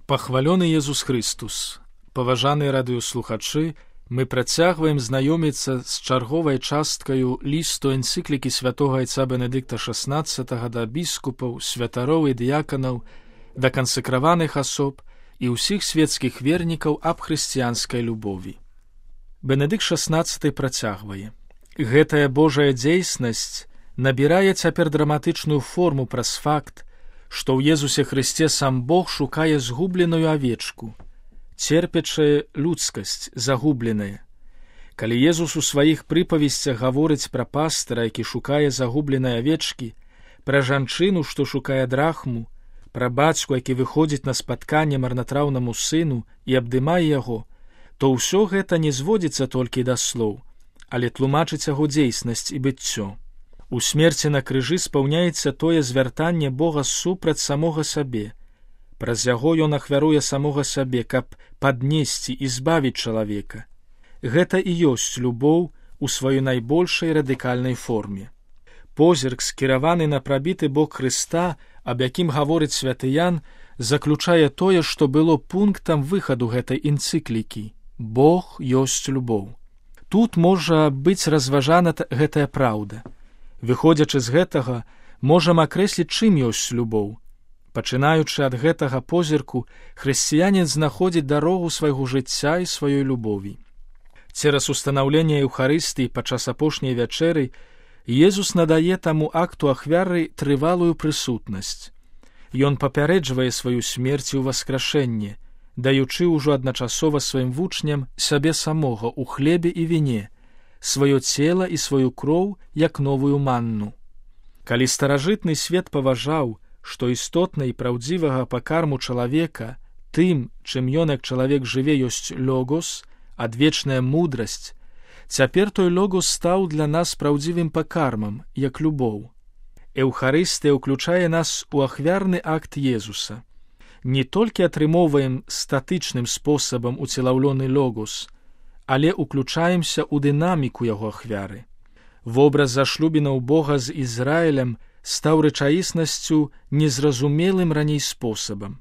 Пахвалёны Езус Христус! Паважаныя радыёслухачы, мы працягваем знаёміцца з чарговай часткаю лісту энцыклікі святога айца Бенедыкта XVI да біскупаў, святароў і дыяканаў, да кансакраваных асоб і ўсіх светскіх вернікаў аб хрысціянскай любові. Бенедыкт XVI працягвае. Гэтая Божая дзейснасць набірае цяпер драматычную форму праз факт, што ў Езусе Хрысце сам Бог шукае згубленую авечку, церпячая людскасць загубленая. Калі Езус у сваіх прыпавесцях гаворыць пра пастыра, які шукае загубленай авечкі, пра жанчыну, што шукае драхму, пра бацьку, які выходзіць на спатканне марнатраўнаму сыну і абдымае яго, то ўсё гэта не зводзіцца толькі да слоў, але тлумачыць яго дзейснасць і быццё. У смерці на крыжы спаўняецца тое звяртанне Бога супраць самога сабе. Праз яго ён ахвяруе самога сабе, каб паднесці і збавіць чалавека. Гэта і ёсць любоў у сваёй найбольшай радыкальнай форме. Позірк, скіраваны на прабіты бок Хрыста, аб якім гаворыць святы Ян, заключае тое, што было пунктам выхаду гэтай энцыклікі. Бог ёсць любоў. Тут можа быць разважана гэтая праўда. Выходзячы з гэтага, можам акрэсліць, чым ёсць любоў. Пачынаючы ад гэтага позірку, хрысціянін знаходзіць дарогу свайго жыцця і сваёй любові. Цераз устанаўленне Еўхарыстыі падчас апошняй вячэры Езус надае таму акту ахвяры трывалую прысутнасць. Ён папярэджвае сваю смерць і ўваскрашэнне, даючы ўжо адначасова сваім вучням сябе самога ў хлебе і віне, сваё цела і сваю кроў як новую манну. Калі старажытны свет паважаў, што істотна і праўдзівага пакарму чалавека, тым, чым ён як чалавек жыве, ёсць логос, адвечная мудрасць, цяпер той логос стаў для нас праўдзівым пакармам, як любоў. Еўхарыстыя ўключае нас у ахвярны акт Езуса. Не толькі атрымоўваем статычным спосабам уцелаўлёны логос, але ўключаемся ў дынаміку яго ахвяры. Вобраз зашлюбінаў Бога з Ізраілем стаў рэчаіснасцю незразумелым раней спосабам.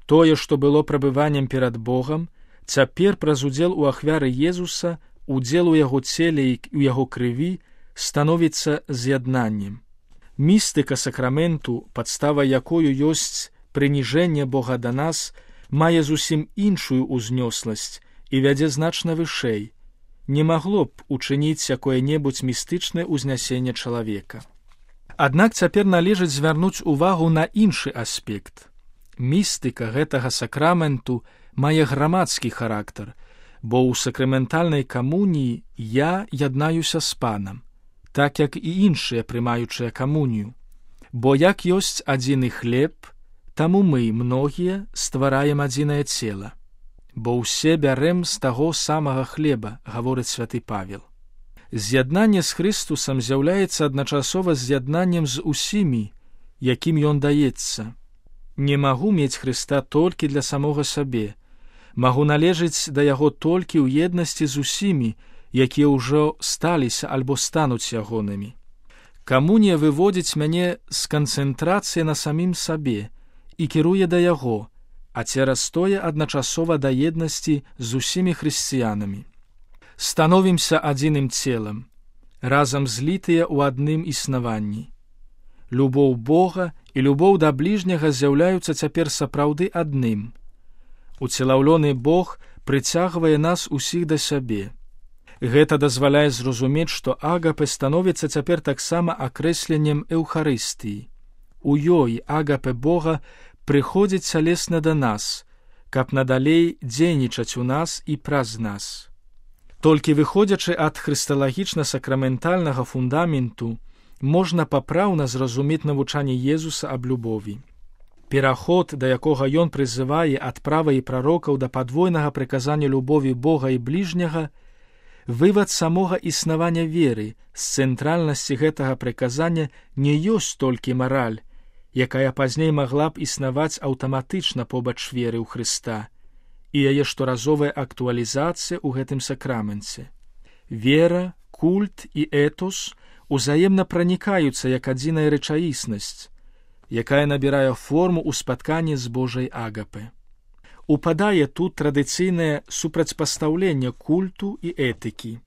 Тое, што было прабываннем перад Богам, цяпер праз удзел у ахвяры Езуса, удзел у яго целе і ў яго крыві становіцца з'яднаннем. Містыка сакраменту, падстава якою ёсць прыніжэнне Бога да нас, мае зусім іншую ўзнёсласць і вядзе значна вышэй, не магло б учыніць якое-небудзь містычнае ўзнясенне чалавека. Аднак цяпер належыць звярнуць увагу на іншы аспект. Містыка гэтага сакраменту мае грамадскі характар, бо ў сакраментальнай камуніі я яднаюся з панам, так як і іншыя прымаючыя камунію. Бо як ёсць адзіны хлеб, таму мы, многія, ствараем адзінае цела. Бо ўсе бярэм з таго самага хлеба, гаворыць святы Павел. З'яднанне з Хрыстусам з'яўляецца адначасова з'яднаннем з усімі, якім ён даецца. Не магу мець Хрыста толькі для самога сабе, магу належыць да яго толькі ў еднасці з усімі, якія ўжо сталіся альбо стануць ягонымі. Камунія выводзіць мяне з канцэнтрацыі на самім сабе і кіруе да яго, а цераз тое адначасова да еднасці з усімі хрысціянамі. Становімся адзіным целам, разам злітыя ў адным існаванні. Любоў Бога і любоў да бліжняга з'яўляюцца цяпер сапраўды адным. Уцелаўлёны Бог прыцягвае нас усіх да сябе. Гэта дазваляе зразумець, што агапе становіцца цяпер таксама акрэсленнем Еўхарыстыі. У ёй агапе Бога прыходзіць цялесна да нас, каб надалей дзейнічаць у нас і праз нас. Толькі выходзячы ад хрысталагічна-сакраментальнага фундаменту, можна папраўна зразумець навучанне Езуса аб любові. Пераход, да якога ён прызывае ад правай прарокаў да падвойнага прыказання любові Бога і бліжняга, вывад самога існавання веры з цэнтральнасці гэтага прыказання не ёсць толькі мараль, якая пазней магла б існаваць аўтаматычна побач веры ў Хрыста, і яе шторазовая актуалізацыя ў гэтым сакраменце. Вера, культ і этос узаемна пранікаюцца як адзіная рэчаіснасць, якая набірае форму ў спатканні з Божай агапе. упадае тут традыцыйнае супрацьпастаўленне культу і этыкі.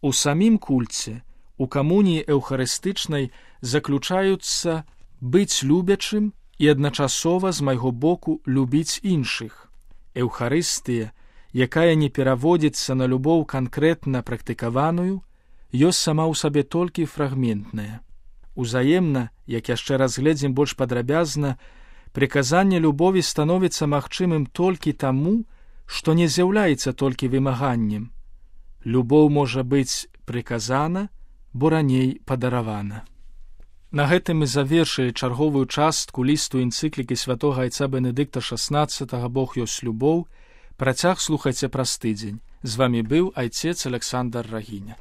У самім кульце, у камуніі эўхарыстычнай заключаюцца быць любячым і адначасова з майго боку любіць іншых. Эўхарыстыя, якая не пераводзіцца на любоў канкрэтна практыкаваную, ёсць сама ў сабе толькі фрагментная. Узаемна, як яшчэ разгледзім больш падрабязна, прыказанне любові становіцца магчымым толькі таму, што не з'яўляецца толькі вымаганнем. Любоў можа быць прыказана, бо раней падаравана. На гэтым мы завершылі чарговую частку лісту энцыклікі святога айца Бенедыкта XVI «Бог ёсць любоў». Працяг слухайце праз тыдзень. З вамі быў айцец Александр Рагіня.